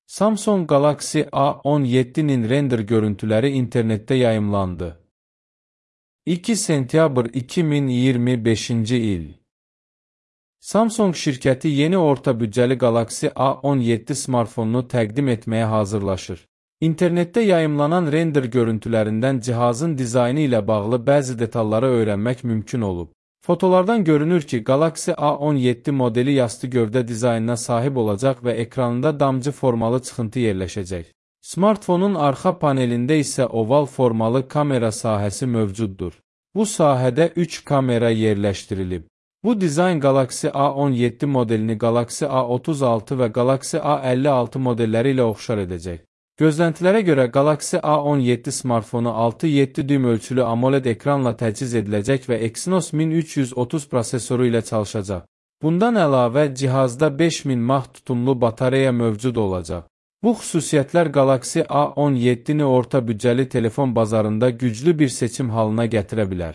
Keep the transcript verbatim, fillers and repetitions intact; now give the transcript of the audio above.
Samsung Galaxy A on yeddinin render görüntüləri internetdə yayımlandı. iki sentyabr iki min iyirmi beşinci il. Samsung şirkəti yeni orta büdcəli Galaxy A on yeddi smartfonunu təqdim etməyə hazırlaşır. İnternetdə yayımlanan render görüntülərindən cihazın dizaynı ilə bağlı bəzi detalları öyrənmək mümkün olub. Fotolardan görünür ki, Galaxy A on yeddi modeli yastı gövdə dizaynına sahib olacaq və ekranında damcı formalı çıxıntı yerləşəcək. Smartfonun arxa panelində isə oval formalı kamera sahəsi mövcuddur. Bu sahədə üç kamera yerləşdirilib. Bu dizayn Galaxy A on yeddi modelini Galaxy A otuz altı və Galaxy A əlli altı modelləri ilə oxşar edəcək. Gözləntilərə görə Galaxy A on yeddi smartfonu altı yeddi düym ölçülü AMOLED ekranla təchiz ediləcək və Exynos min üç yüz otuz prosesoru ilə çalışacaq. Bundan əlavə, cihazda beş min mAh tutumlu batareya mövcud olacaq. Bu xüsusiyyətlər Galaxy A on yeddini orta büdcəli telefon bazarında güclü bir seçim halına gətirə bilər.